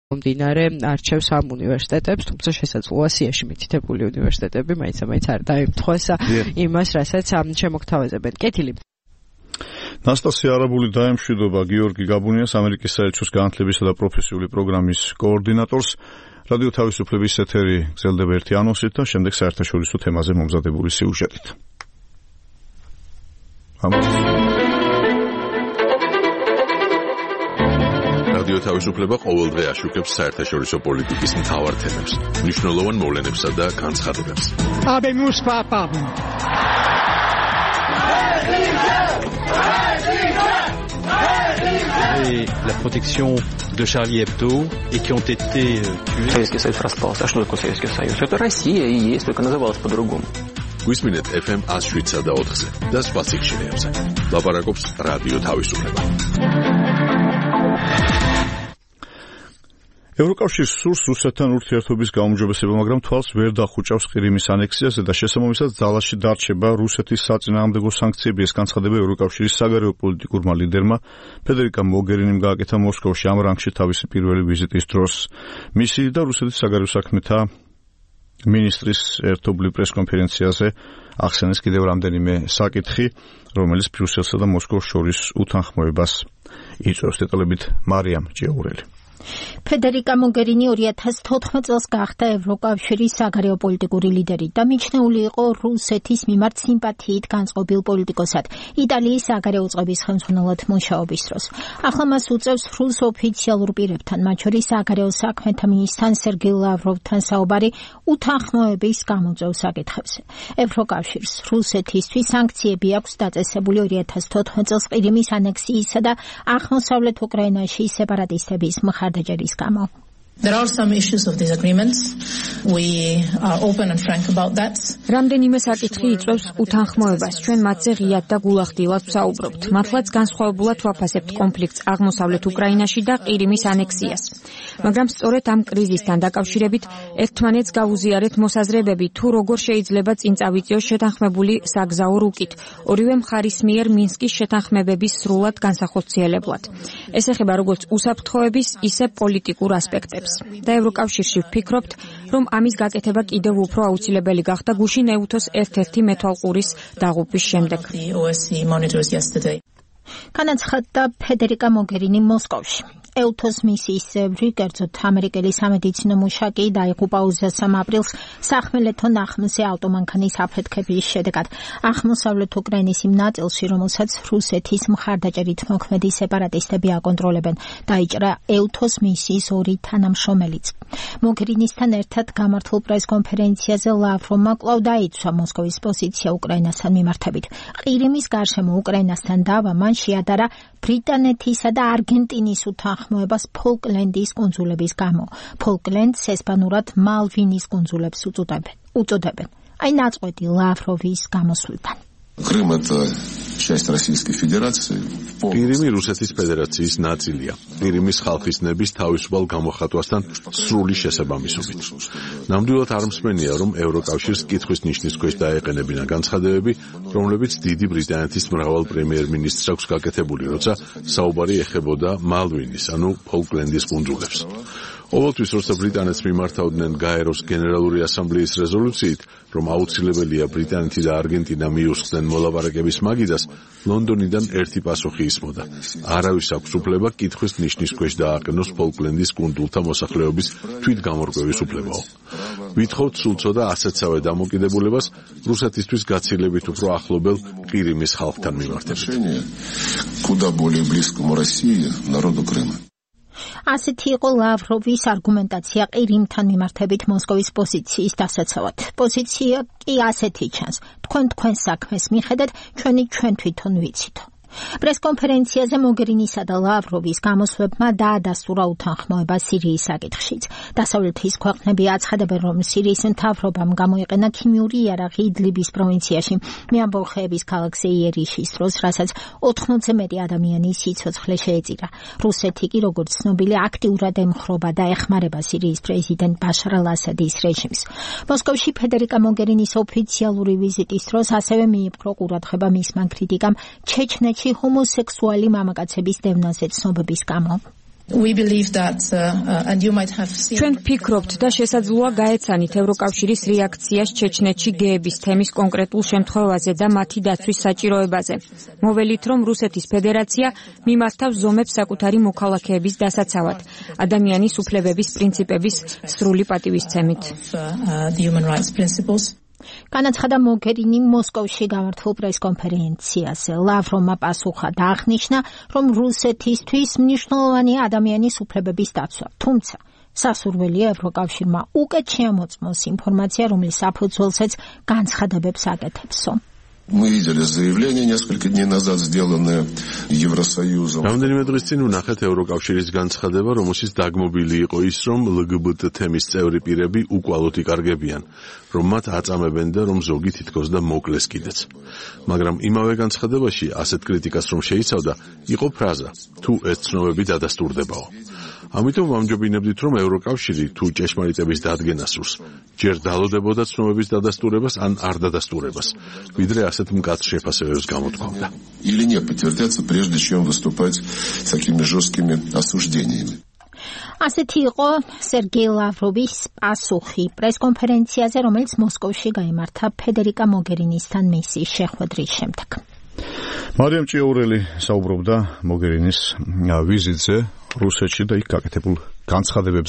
მდინარე არჩევს ამ უნივერსიტეტებს, თუმცა შესაძლოა სიაში მითითებული უნივერსიტეტები მაინც არ დაემთხვეს იმას, რასაც შემოგთავაზებენ. კეთილი. ნასტასია არაბული დაემშვიდობა გიორგი გაბუნიას, ამერიკის საელჩოს განათლებისა და პროფესიული პროგრამის კოორდინატორს. რადიო თავისუფლების ეთერი გრძელდება ერთი ანონსით და შემდეგ საერთაშორისო თემაზე მომზადებული სიუჟეტით. რადიო თავისუფლება ყოველდღე აშუქებს საერთაშორისო პოლიტიკის მთავარ თემებს, მნიშვნელოვან მოვლენებსა და განცხადებებს. La protection de Charlie Hebdo et qui ont été tués. Советский Союз распался. А что такое Советский Союз? Это Россия и есть, только называлась по-другому. Გვისმინეთ FM 107 და 4-ზე და სხვა სიგნალებზე. ლაპარაკობს რადიო თავისუფლება. ევროკავშირს სურს რუსეთთან ურთიერთობის გაუმჯობესება, მაგრამ თვალს ვერ დახუჭავს ყირიმის ანექსიაზე და შესაბამისად ძალაში დარჩება რუსეთის საწინააღმდეგო სანქციები. ეს განცხადება ევროკავშირის საგარეო პოლიტიკურმა ლიდერმა ფედერიკა მოგერინიმ გააკეთა მოსკოვში ამ რანგში თავისი პირველი ვიზიტის დროს. მისი და რუსეთის საგარეო საქმეთა მინისტრის ერთობლივ პრესკონფერენციაზე ახსენეს კიდევ რამდენიმე საკითხი, რომელიც ბრიუსელსა და მოსკოვს შორის უთანხმოებას იწვევს. დეტალებით მარიამ ჭიაურელი. ფედერიკა მოგერინი 2014 წელს გახდა ევროკავშირის საგარეო პოლიტიკური ლიდერი და მიჩნეული იყო რუსეთის მიმართ სიმპათიით განწყობილ პოლიტიკოსად იტალიის საგარეო წყობის ხელმძღვანელად მუშაობის დროს. ახლა მას უწევს რუს ოფიციალურ პირებთან, მათ შორის საგარეო საქმეთა მინისტრთან სერგეი ლავროვთან საუბარი უთანხმოების გამოწვევ საკითხებზე. ევროკავშირს რუსეთისთვის სანქციები აქვს დაწესებული 2014 წელს ყირიმის ანექსიისა და აღმოსავლეთ უკრაინაში სეპარატისტების მხარდაჭერის გამო. There are some issues of disagreements. We are open and frank about that. რამდენიმე საკითხი იწვევს უთანხმოებას. ჩვენ მათზე ღიად და გულახდილად ვსაუბრობთ. მართლაც განსხვავებულად ვაფასებთ კონფლიქტს აღმოსავლეთ უკრაინაში და ყირიმის ანექსიას. მაგრამ სწორედ ამ კრიზისთან დაკავშირებით ერთმანეთს გავუზიარეთ მოსაზრებები, თუ როგორ შეიძლება წინ წავიწიოს შეთანხმებული საგზაო რუკით, ორივე მხარის მიერ მინსკის შეთანხმებების სრულად განსახორციელებლად. ეს ეხება როგორც უსაფრთხოების, ისე პოლიტიკურ ასპექტებს. და ევროკავშირში ვფიქრობთ, რომ ამის გაკეთება კიდევ უფრო აუცილებელი გახდა გუშინ ეუთოს ერთ-ერთი მეთვალყურის დაღუპვის შემდეგ. განაცხადდა ფედერიკა მოგერინი მოსკოვში. ეუთოს მისიის წევრი, კერძოდ ამერიკელი სამედიცინო მუშაკი დაიღუპა 23 აპრილს სახმელეთო ნახმზე ავტომანქანის აფეთქების შედეგად. აღმოსავლეთ უკრაინის იმ ნაწილში, რომელსაც რუსეთის მხარდაჭერით მოქმედი სეპარატისტები აკონტროლებენ, დაიჭრა ეუთოს მისიის 2 თანამშრომელიც. მოგერინისთან ერთად გამართულ პრესკონფერენციაზე ლავროვმა კვლავ დაიცვა მოსკოვის პოზიცია უკრაინასთან მიმართებით. ყირიმის გარშემო უკრაინასთან დავა მან შეადარა ბრიტანეთისა და არგენტინის უთანხმოებას ფოლკლენდის კუნძულების გამო. ფოლკლენდს ესპანურად მალვინის კუნძულებს უწოდებენ. აი ნაწყვეტი ლავროვის გამოსვლიდან. Крым это часть Российской Федерации. ყირიმი რუსეთის ფედერაციის ნაწილია. ყირიმის ხალხის ნების თავისუფალ გამოხატვასთან სრული შესაბამისობით. ნამდვილად არ მსმენია, რომ ევროკავშირს კითხვის ნიშნის ქვეშ დაეყენებინა განცხადებები, რომლებიც დიდი ბრიტანეთის მრავალ პრემიერ-მინისტრს აქვს გაკეთებული, როცა საუბარი ეხებოდა მალვინის, ანუ ფოლკლენდის კუნძულებს. ყოველთვის, როცა ბრიტანეთს მიმართავდნენ გაეროს გენერალური ასამბლეის რეზოლუციით, რომ აუცილებელია ბრიტანეთი და არგენტინა მიუსხდნენ მოლაპარაკების მაგიდას, ლონდონიდან ერთი პასუხი ისმოდა. არავის აქვს უფლება კითხვის ნიშნის ქვეშ დააყენოს ფოლკლენდის კუნძულთა მოსახლეობის თვითგამორკვევის უფლებაო. ვითხოვთ სულ ცოტა ასეთსავე დამოკიდებულებას რუსეთისთვის გაცილებით უფრო ახლობელ ყირიმის ხალხთან მიმართებით. Куда более близкому России, народу Крыма. ასეთი იყო ლავროვის არგუმენტაცია ყირიმთან მიმართებით მოსკოვის პოზიციის დასაცავად. პოზიცია კი ასეთი ჩანს. თქვენ საქმეს მიხედეთ, ჩვენ თვითონ ვიცით. პრესკონფერენციაზე მოგერინისა და ლავროვის გამოსვლებმა დაადასტურა უთანხმოება სირიის საკითხშიც. დასავლეთის ქვეყნები აცხადებენ, რომ სირიის მთავრობამ გამოიყენა ქიმიური იარაღი იდლიბის პროვინციაში, მეამბოლხეების ქალაქ ზეიერიშის დროს, რასაც 80-ზე მეტი ადამიანის სიცოცხლე შეეწირა. რუსეთი კი, როგორც ცნობილი, აქტიურად ემხრობა და ეხმარება სირიის პრეზიდენტ ბაშარ ალ-ასადის რეჟიმს. მოსკოვში ფედერიკა მოგერინის ოფიციალური ვიზიტის დროს ასევე მიიპყრო ყურადღება მისმა კრიტიკამ ჩეჩნეთში ჰომოსექსუალი მამაკაცების დევნაზე ცნობების გამო. We believe that and you might have seen ჩვენ ვფიქრობთ და შესაძლოა გაეცანით ევროკავშირის რეაქციას ჩეჩნეთში გეების თემის კონკრეტულ შემთხვევაზე და მათი დაცვის საჭიროებაზე. მოველით, რომ რუსეთის ფედერაცია მიმართავს ზომებს საკუთარი მოქალაქეების დასაცავად, ადამიანის უფლებების პრინციპების სრული პატივისცემით. განაცხადა მოგერინი მოსკოვში გამართულ პრესკონფერენციაზე. ლავროვმა პასუხა და აღნიშნა, რომ რუსეთისთვის მნიშვნელოვანია ადამიანის უფლებების დაცვა. თუმცა სასურველია ევროკავშირმა უკეთ შეამოწმოს ინფორმაცია, რომლის საფუძველზეც განცხადებებს აკეთებსო. Мы видели заявление несколько дней назад, сделанное Евросоюзом. რამდენიმე დღის წინ ვნახეთ ევროკავშირის განცხადება, რომელშიც დაგმობილი იყო ის, რომ LGBT თემის წევრი პირები უკვალოდ იკარგებიან, რომ მათ აწამებენ და რომ ზოგი თითქოს და მოკლეს კიდეც. მაგრამ იმავე განცხადებაში ასეთ კრიტიკას რომ შეიცავდა, იყო ფრაზა: თუ ეს ცნობები დადასტურდებაო. ამიტომ ვამჯობინებდით, რომ ევროკავშირი თუ ჭეშმარიტების დადგენას სურს, ჯერ დალოდებოდა ცნობების დადასტურებას ან არ დადასტურებას, ვიდრე ასეთ მკაცრ შეფასებებს გამოთქვამდა. Или не подтвердятся, прежде чем выступать с такими жесткими осуждениями. ასეთი იყო სერგეი ლავროვის პასუხი პრესკონფერენციაზე, რომელიც მოსკოვში გაიმართა ფედერიკა მოგერინისთან მისიის შეხვედრის შემდეგ. მარიამ ჭიაურელი საუბრობდა მოგერინის ვიზიტზე რუსეთში და იქ გაკეთებულ განცხადებებზე.